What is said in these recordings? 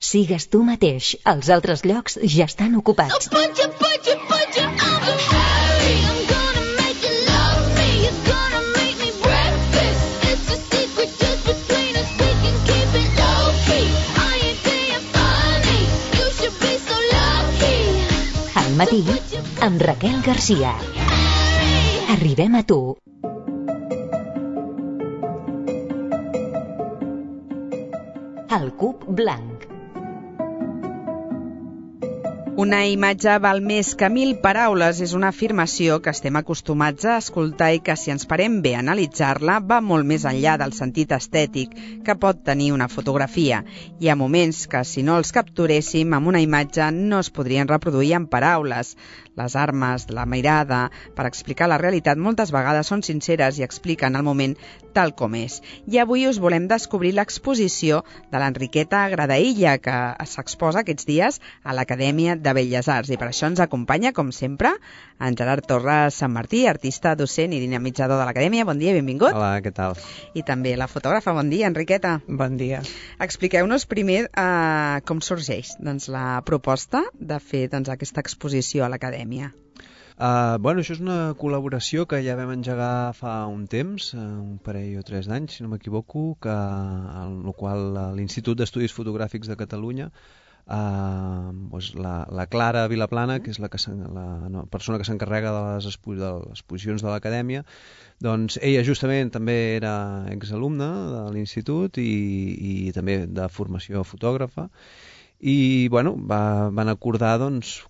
Sigues tu mateix. Els altres llocs ja estan ocupats. Al matí, amb Raquel Garcia. Arribem a tu. El cub blanc. Una imatge val més que 1000 paraules és una afirmació que estem acostumats a escoltar i que, si ens parem bé a analitzar-la, va molt més enllà del sentit estètic que pot tenir una fotografia. Hi ha moments que, si no els capturéssim amb una imatge, no es podrien reproduir en paraules. Les armes, la mirada, per explicar la realitat, moltes vegades són sinceres i expliquen el moment tal com és. I avui us volem descobrir l'exposició de l'Enriqueta Gradaïlla, que s'exposa aquests dies a l'Acadèmia de Belles Arts. I per això ens acompanya, com sempre, en Gerard Torres Sant Martí, artista, docent i dinamitzador de l'Acadèmia. Bon dia, benvingut. Hola, què tal? I també la fotògrafa. Bon dia, Enriqueta. Bon dia. Expliqueu-nos primer com sorgeix la proposta de fer aquesta exposició a l'Acadèmia. Això és una col·laboració que ja vam engegar fa un temps, un parell o 3 d'anys, si no m'equivoco, en el qual l'Institut d'Estudis Fotogràfics de Catalunya, la Clara Vilaplana, que és la persona que s'encarrega de les exposicions de l'Acadèmia, doncs ella justament també era exalumna de l'Institut i també de formació fotògrafa. I van acordar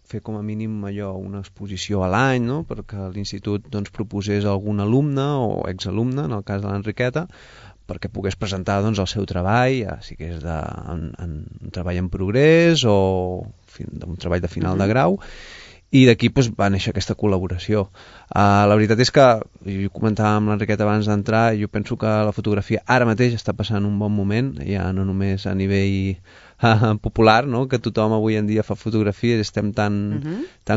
fer com a mínim una exposició a l'any, no? Perquè l'institut proposés algun alumne o exalumne, en el cas de l'Enriqueta, perquè pogués presentar el seu treball, ja sigui un treball en progrés o un treball de final de grau, i d'aquí va néixer aquesta col·laboració. La veritat és que, jo comentava amb l'Enriqueta abans d'entrar, jo penso que la fotografia ara mateix està passant un bon moment, ja no només a nivell popular, no? Que tothom avui en dia fa fotografies, estem tan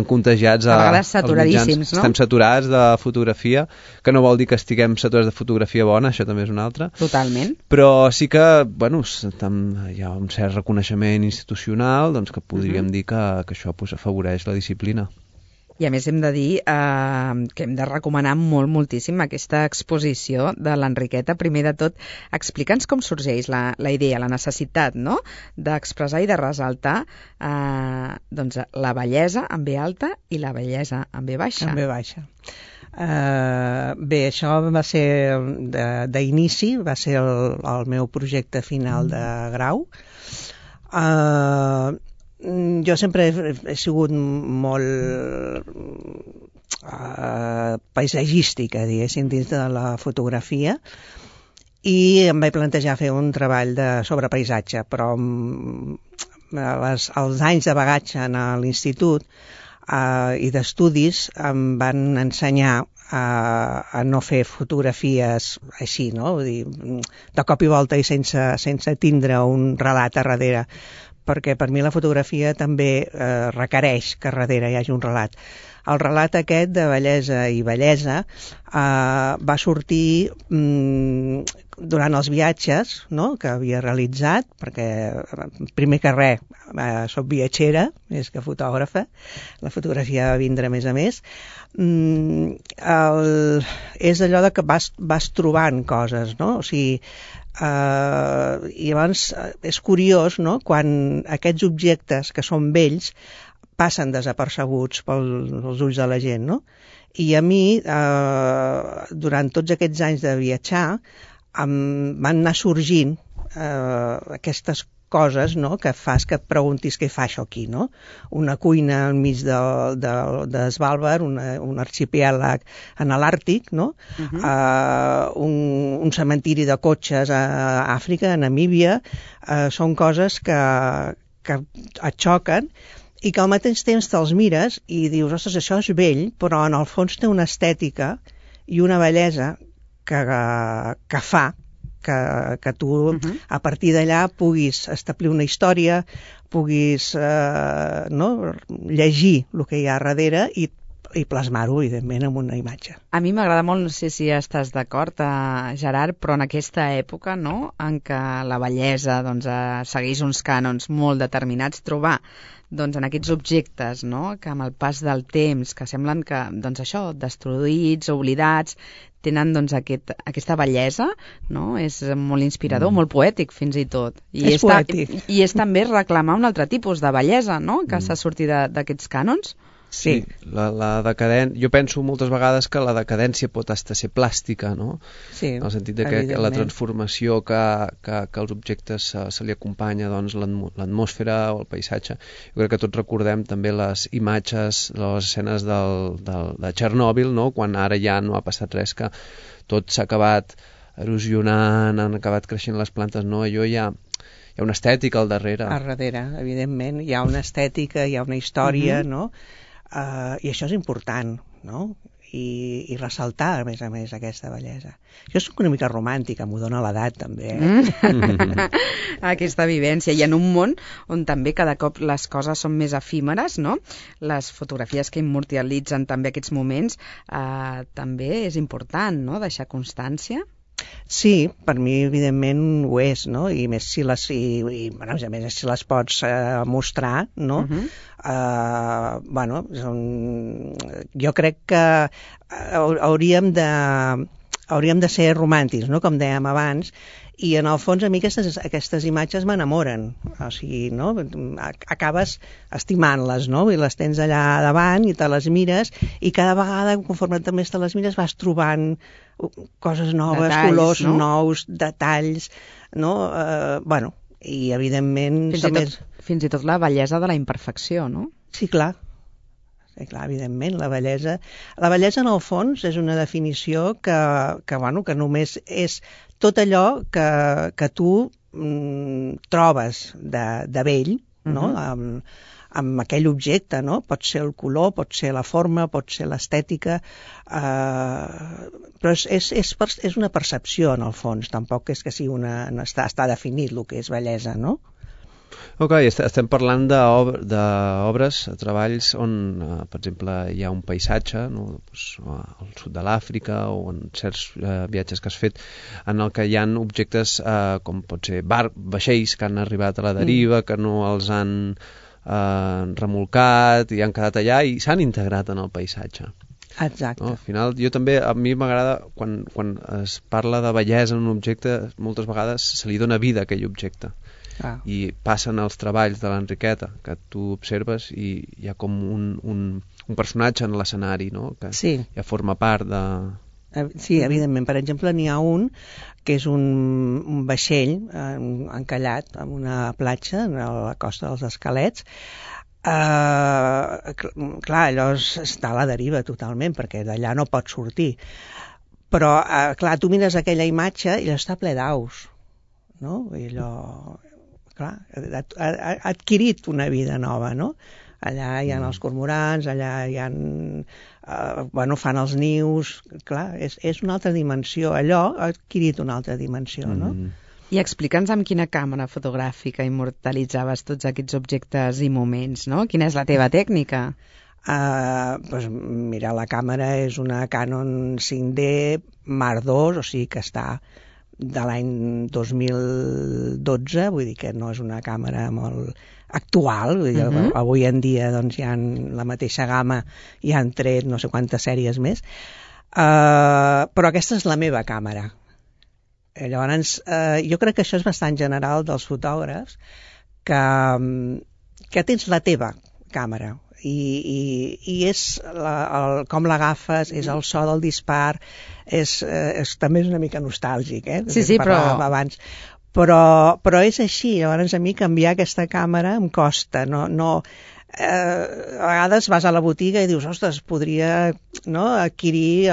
contagiats a vegades saturadíssims, no? Estem saturats de fotografia, que no vol dir que estiguem saturats de fotografia bona, això també és una altra. Totalment. Però sí que, hi ha un cert reconeixement institucional, que podríem dir que això afavoreix la disciplina. I a més hem de dir que hem de recomanar moltíssim aquesta exposició de l'Enriqueta. Primer de tot, explica'ns com sorgeix la idea, la necessitat, no?, d'expressar i de ressaltar la bellesa en B alta i la bellesa en B baixa. En B baixa. Bé, això va ser d'inici, va ser el meu projecte final de grau. Jo sempre he sigut molt paisatgística, diguéssim, dins de la fotografia, i em vaig plantejar fer un treball sobre paisatge, però els anys de bagatge a l'institut i d'estudis em van ensenyar a no fer fotografies així, no? Vull dir, de cop i volta i sense tindre un relat a darrere, perquè per mi la fotografia també requereix que darrere hi hagi un relat. El relat aquest de bellesa i bellesa va sortir durant els viatges, no?, que havia realitzat, perquè primer que res soc viatgera més que fotògrafa, la fotografia va vindre més a més. És allò que vas trobant coses, no? O sigui, i llavors és curiós, no?, quan aquests objectes que són vells passen desapercebuts pels ulls de la gent, no? I a mi, durant tots aquests anys de viatjar, van anar sorgint aquestes coses, no?, que fas que et preguntis què fa això aquí, no? Una cuina enmig de Svalbard, un arxipèlag en l'Àrtic, no? Un cementiri de cotxes a Àfrica, a Namíbia, són coses que et xoquen i que al mateix temps te'ls mires i dius, ostres, això és vell, però en el fons té una estètica i una bellesa que fa que tu a partir d'allà puguis establir una història, puguis llegir el que hi ha darrere i i plasmar-ho, evidentment, en una imatge. A mi m'agrada molt, no sé si estàs d'acord, Gerard, però en aquesta època, no?, en què la bellesa doncs, segueix uns cànons molt determinats, trobar doncs, en aquests objectes, no?, que amb el pas del temps, que semblen que, doncs això, destruïts, oblidats, tenen doncs, aquesta bellesa, no?, és molt inspirador, molt poètic fins i tot. És poètic. I és també reclamar un altre tipus de bellesa, no?, que s'ha sortit d'aquests cànons. Sí, la decadència... Jo penso moltes vegades que la decadència pot estar ser plàstica, no? Sí, en el sentit de que la transformació que als objectes se li acompanya, doncs, l'atmosfera o el paisatge. Jo crec que tots recordem també les imatges, les escenes de Txernòbil, no? Quan ara ja no ha passat res, que tot s'ha acabat erosionant, han acabat creixent les plantes, no? Allò hi ha una estètica al darrere. Al darrere, evidentment. Hi ha una estètica, hi ha una història, no? I això és important, no? I ressaltar, a més, aquesta bellesa. Jo soc una mica romàntica, m'ho dona l'edat, també. Aquesta vivència. I en un món on també cada cop les coses són més efímeres, no? Les fotografies que immortalitzen també aquests moments, també és important, no?, deixar constància. Sí, per mi evidentment ho és, no? I més si les, bueno, a més si les pots mostrar, no? Bueno, jo crec que hauríem de ser romàntics, no? Com dèiem abans, i en el fons a mi aquestes imatges m'enamoren, o sigui, no? Acabes estimant-les, no? I les tens allà davant i te les mires, i cada vegada, conforme també te les mires, vas trobant coses noves, detalls, colors, no? Nous, detalls, no? Bueno, i evidentment... Fins i tot la bellesa de la imperfecció, no? Sí, clar. Sí, clar, evidentment, la bellesa en el fons és una definició que només és tot allò que tu trobes de bell, no? Amb aquell objecte, no? Pot ser el color, pot ser la forma, pot ser l'estètica, però és una percepció en el fons, tampoc és que sigui està definit el que és bellesa, no? Ok, estem parlant d'obres, treballs on, per exemple, hi ha un paisatge, no? Pues, al sud de l'Àfrica o en certs viatges que has fet, en el que hi ha objectes com pot ser vaixells que han arribat a la deriva, que no els han remolcat i han quedat allà i s'han integrat en el paisatge. Exacte. No? Al final, a mi m'agrada quan es parla de bellesa en un objecte, moltes vegades se li dona vida a aquell objecte. I passen els treballs de l'Enriqueta, que tu observes i hi ha com un personatge en l'escenari, no? Que ja forma part de... Sí, evidentment. Per exemple, n'hi ha un que és un vaixell encallat en una platja a la costa dels Escalets. Clar, allò està a la deriva totalment, perquè d'allà no pot sortir. Però, clar, tu mires aquella imatge i allò està ple d'aus, no? I allò... Clar, ha adquirit una vida nova, no? Allà hi ha els cormorans, allà hi ha... fan els nius... Clar, és una altra dimensió. Allò ha adquirit una altra dimensió, no? I explica'ns amb quina càmera fotogràfica immortalitzaves tots aquests objectes i moments, no? Quina és la teva tècnica? Mira, la càmera és una Canon 5D Mark II, o sigui que està de l'any 2012, vull dir que no és una càmera molt actual, vull dir, avui en dia doncs, hi ha la mateixa gamma i han tret no sé quantes sèries més, però aquesta és la meva càmera. Llavors, jo crec que això és bastant general dels fotògrafs, que tens la teva càmera, i és com l'agafes, és el so del dispar, també és una mica nostàlgic, Sí, però... abans. Però és així. Llavors a mi canviar aquesta càmera em costa, a vegades vas a la botiga i dius, ostres, podria adquirir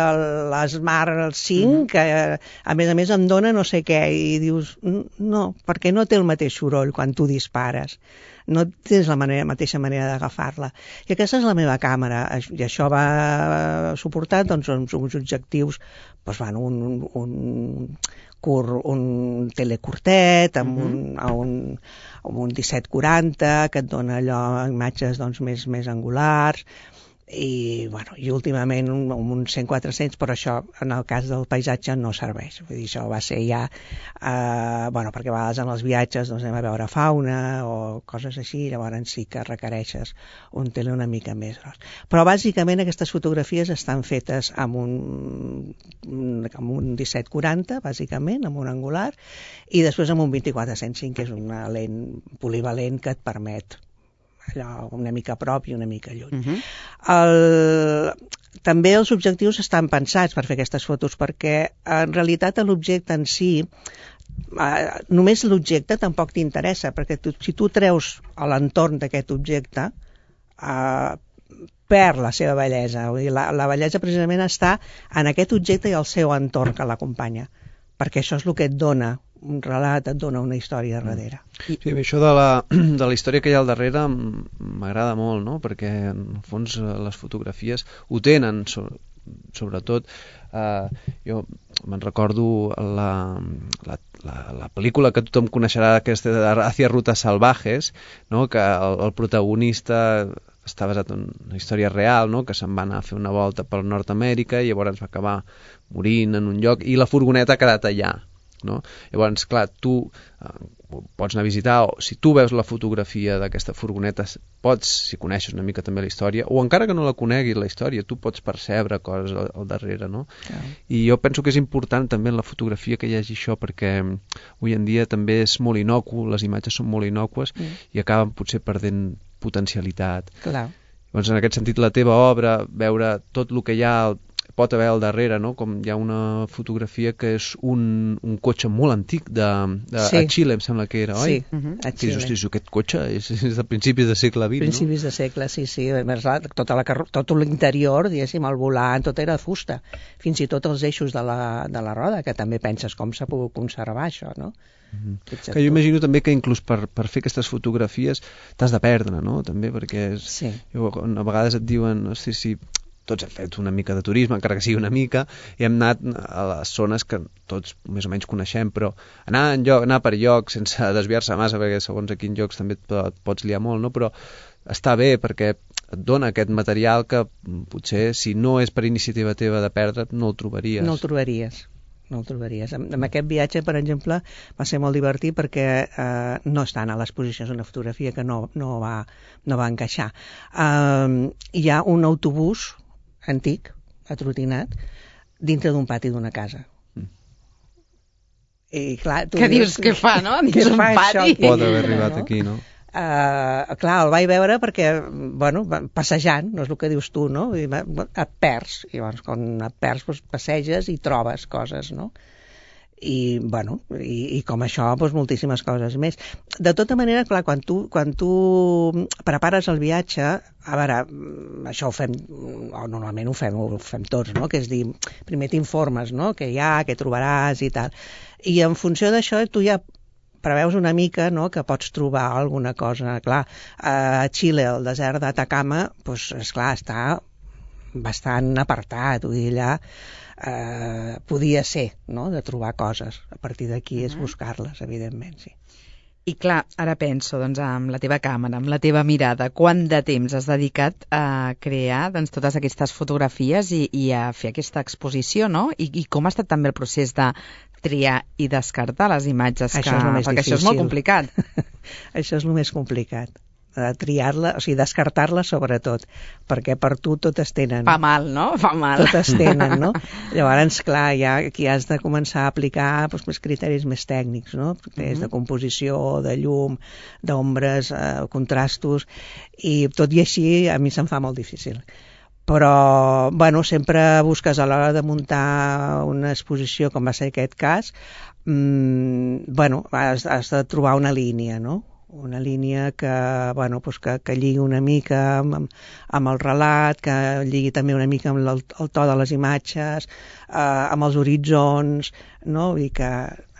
l'Smart 5, que a més em dona no sé què, i dius, no, perquè no té el mateix soroll quan tu dispares, no tens la mateixa manera d'agafar-la. I aquesta és la meva càmera, i això va suportar doncs, uns objectius, un telecurtet amb un 1740 que et dona allò imatges doncs, més angulars, i últimament uns 100-400, però això en el cas del paisatge no serveix. Vull dir, això va ser ja perquè a vegades en els viatges anem a veure fauna o coses així, llavors sí que requereixes un tele una mica més gros. Però bàsicament aquestes fotografies estan fetes amb un 1740, bàsicament, amb un angular, i després amb un 24-105, que és una lent polivalent que et permet allò una mica a prop i una mica lluny. També els objectius estan pensats per fer aquestes fotos, perquè en realitat l'objecte en si, només l'objecte tampoc t'interessa, perquè si tu treus a l'entorn d'aquest objecte, perd la seva bellesa. Vull dir, la bellesa precisament està en aquest objecte i el seu entorn que l'acompanya, perquè això és el que et dona un relat, et dona una història darrere. Sí, això de la història que hi ha al darrere m'agrada molt, no? Perquè en el fons les fotografies ho tenen, sobretot jo me'n recordo la pel·lícula que tothom coneixerà, aquesta Hacia Rutas Salvajes, no? Que el protagonista està basat en una història real, no? Que se'n va anar a fer una volta per Nord-Amèrica i llavors va acabar morint en un lloc i la furgoneta ha quedat allà, no? Llavors, clar, tu pots anar a visitar, o si tu veus la fotografia d'aquesta furgoneta, pots, si coneixes una mica també la història, o encara que no la coneguis la història, tu pots percebre coses al darrere, no? I jo penso que és important també en la fotografia que hi hagi això, perquè avui en dia també és molt innocu, les imatges són molt innòcues i acaben potser perdent potencialitat. Clar. Llavors, en aquest sentit, la teva obra, veure tot el que hi ha pot haver al darrere, no? Com hi ha una fotografia que és un cotxe molt antic a Xile, em sembla que era, oi? Sí, a Xile. Hosti, aquest cotxe és de principis de segle XX, principis de segle, sí. Tot l'interior, diguéssim, el volant, tot era de fusta. Fins i tot els eixos de la roda, que també penses com s'ha pogut conservar això, no? Que jo imagino també que inclús per fer aquestes fotografies t'has de perdre, no? També perquè a vegades et diuen, hosti, si tots hem fet una mica de turisme, encara que sigui una mica, i hem anat a les zones que tots més o menys coneixem, però anar per llocs sense desviar-se massa, perquè segons a quins llocs també et pots liar molt, no? Però està bé perquè et dona aquest material que potser si no és per iniciativa teva de perdre't no el trobaries. No el trobaries. En aquest viatge, per exemple, va ser molt divertit perquè no estan a l'exposició, és una fotografia que no va encaixar. Hi ha un autobús antic, atrotinat, dintre d'un pati d'una casa. I clar, què dius, què fa, no? Dins un pati? Pot haver arribat aquí, no? Clar, el vaig veure perquè, passejant, no és el que dius tu, no? Et perds, i llavors quan et perds passeges i trobes coses, no? I com això, moltíssimes coses més. De tota manera, clar, quan tu prepares el viatge, a veure, això ho fem, normalment ho fem tots, no? Que és dir, primer t'informes, no? Què hi ha, què trobaràs i tal. I en funció d'això, tu ja preveus una mica, no?, que pots trobar alguna cosa. Clar, a Xile, el desert d'Atacama, esclar, està bastant apartat, vull dir, allà podia ser, no?, de trobar coses. A partir d'aquí és buscar-les, evidentment, sí. I clar, ara penso, doncs, amb la teva càmera, amb la teva mirada, quant de temps has dedicat a crear totes aquestes fotografies i a fer aquesta exposició, no? I com ha estat també el procés de triar i descartar les imatges? Perquè això és molt complicat. Això és el més complicat. Triar-la, o sigui, descartar-la sobretot, perquè per tu totes tenen. Fa mal, no? Fa mal. Totes tenen, no? Llavors, clar, ja aquí has de començar a aplicar més criteris més tècnics, no? Criteris de composició, de llum, d'ombres, contrastos, i tot i així a mi se'm fa molt difícil. Però, sempre busques a l'hora de muntar una exposició, com va ser aquest cas, has de trobar una línia, no? Una línia que lligui una mica amb el relat, que lligui també una mica amb el to de les imatges, amb els horitzons, no? I que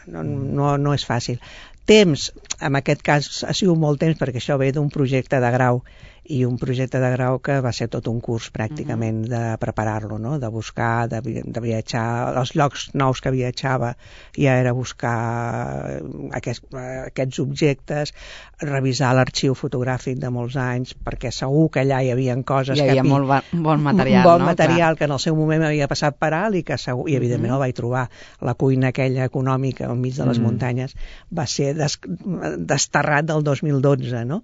no és fàcil. Temps, en aquest cas ha sigut molt temps, perquè això ve d'un projecte de grau i un projecte de grau que va ser tot un curs pràcticament de preparar-lo, no? De buscar, de viatjar, els llocs nous que viatjava ja era buscar aquests objectes, revisar l'arxiu fotogràfic de molts anys, perquè segur que allà hi havia coses hi havia molt bon material, bon material que en el seu moment havia passat per alt i que segur, i evidentment el vaig trobar. La cuina aquella econòmica al mig de les muntanyes va ser desterrat del 2012, no?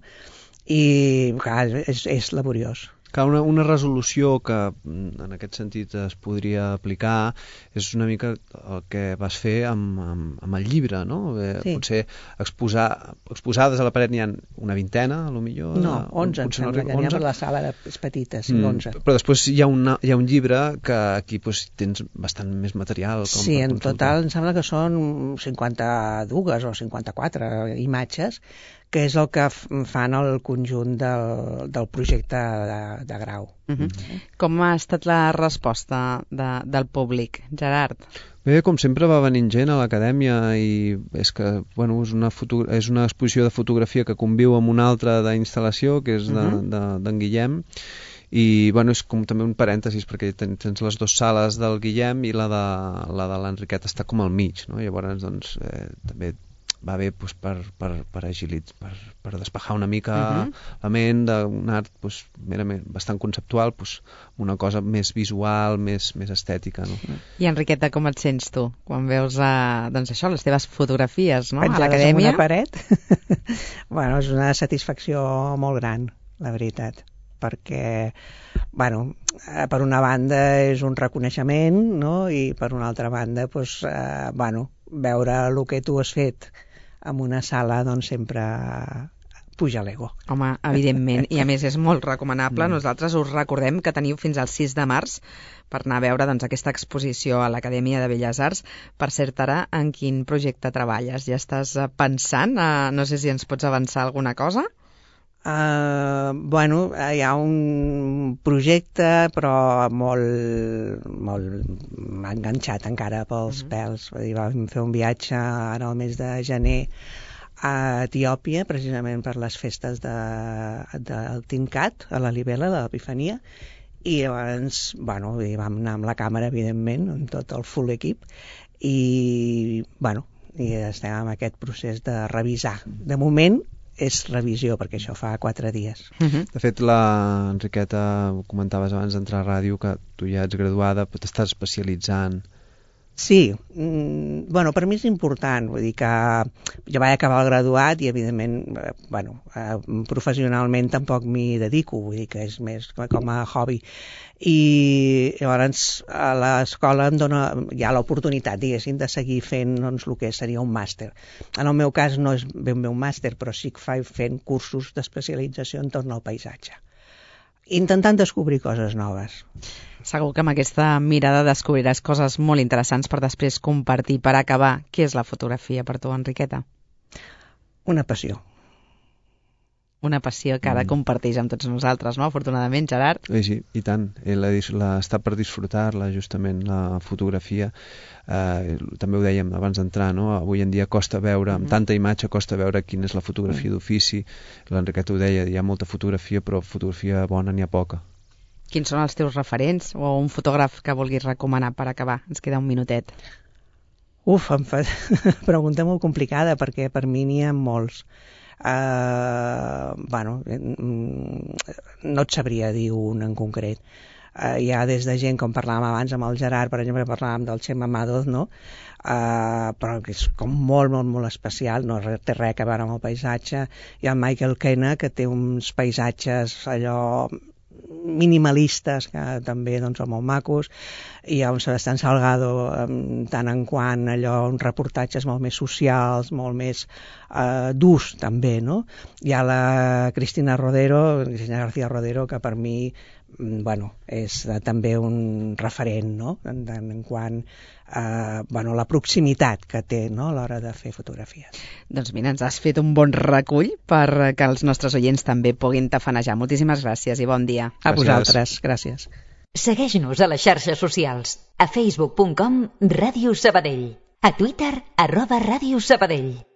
I clar, és laboriós. Una resolució que en aquest sentit es podria aplicar és una mica el que vas fer amb el llibre, no? Sí. Potser exposades a la paret n'hi ha una vintena, a lo millor. No, 11, em sembla que n'hi ha per la sala, és petita, sí, 11. Però després hi ha un llibre que aquí tens bastant més material. Sí, en total em sembla que són 52 o 54 imatges, que és el que fan el conjunt del projecte de grau. Com ha estat la resposta del públic, Gerard? Bé, com sempre va venint gent a l'acadèmia i és que, bueno, és una exposició de fotografia que conviu amb una altra d'instal·lació, que és d'en Guillem, i bueno, és com també un parèntesis perquè tens les dues sales del Guillem i la de l'Enriqueta està com al mig, no? Llavors doncs també va bé per agilitzar, per despejar una mica la ment d'un art merament bastant conceptual, una cosa més visual, més estètica, no? I Enriqueta, com et sents tu quan veus doncs això, les teves fotografies, no? Penjades a l'acadèmia? en una paret? Bueno, és una satisfacció molt gran, la veritat, perquè per una banda és un reconeixement, no? I per una altra banda veure el que tu has fet en una sala doncs sempre puja l'ego. Home, evidentment, i a més és molt recomanable. Nosaltres us recordem que teniu fins al 6 de març per anar a veure doncs, aquesta exposició a l'Acadèmia de Belles Arts. Per cert, ara, en quin projecte treballes? Ja estàs pensant? No sé si ens pots avançar alguna cosa? Hi ha un projecte però molt enganxat encara pels pèls. Vam fer un viatge ara al mes de gener a Etiòpia, precisament per les festes del Tincat, a la Libela, de l'Epifania, i llavors vam anar amb la càmera, evidentment, amb tot el full equip, i estem en aquest procés de revisar. De moment és revisió, perquè això fa 4 dies. De fet, l'Enriqueta, comentaves abans d'entrar a ràdio, que tu ja ets graduada, però t'estàs especialitzant. Sí, per mi és important, vull dir que jo vaig acabar el graduat i evidentment, professionalment tampoc m'hi dedico, vull dir que és més com a hobby. I llavors a l'escola em dona ja l'oportunitat, diguéssim, de seguir fent el que seria un màster. En el meu cas no és ben bé un màster, però sí que faig fent cursos d'especialització entorn al paisatge, intentant descobrir coses noves. Segur que amb aquesta mirada descobriràs coses molt interessants per després compartir. Per acabar, què és la fotografia per tu, Enriqueta? Una passió. Una passió que ara comparteix amb tots nosaltres, no? Afortunadament, Gerard. Sí, i tant. Està per disfrutar-la, justament, la fotografia. També ho dèiem abans d'entrar, no? Avui en dia costa veure, amb tanta imatge, costa veure quina és la fotografia d'ofici. L'Enriqueta ho deia, hi ha molta fotografia, però fotografia bona n'hi ha poca. Quins són els teus referents o un fotògraf que vulguis recomanar per acabar? Ens queda un minutet. Em fa pregunta molt complicada perquè per mi n'hi ha molts. No et sabria dir un en concret. Hi ha des de gent, com parlàvem abans amb el Gerard, per exemple, parlàvem del Chema Madoz, no? Però que és com molt, molt, molt especial, no té res a veure amb el paisatge. Hi ha el Michael Kena, que té uns paisatges allò minimalistes, que també doncs, són molt macos. Hi ha un Sebastián Salgado, tant en quant allò, uns reportatges molt més socials, molt més durs també, no? Hi ha la Cristina García Rodero, que per mi és també un referent, no? En quant la proximitat que té, no? A l'hora de fer fotografies. Doncs mira, ens has fet un bon recull perquè els nostres oients també puguin tafanejar. Moltíssimes gràcies i bon dia. A vosaltres, gràcies. Segueix-nos a les xarxes socials. A facebook.com/Ràdio Sabadell. A Twitter @Ràdio Sabadell.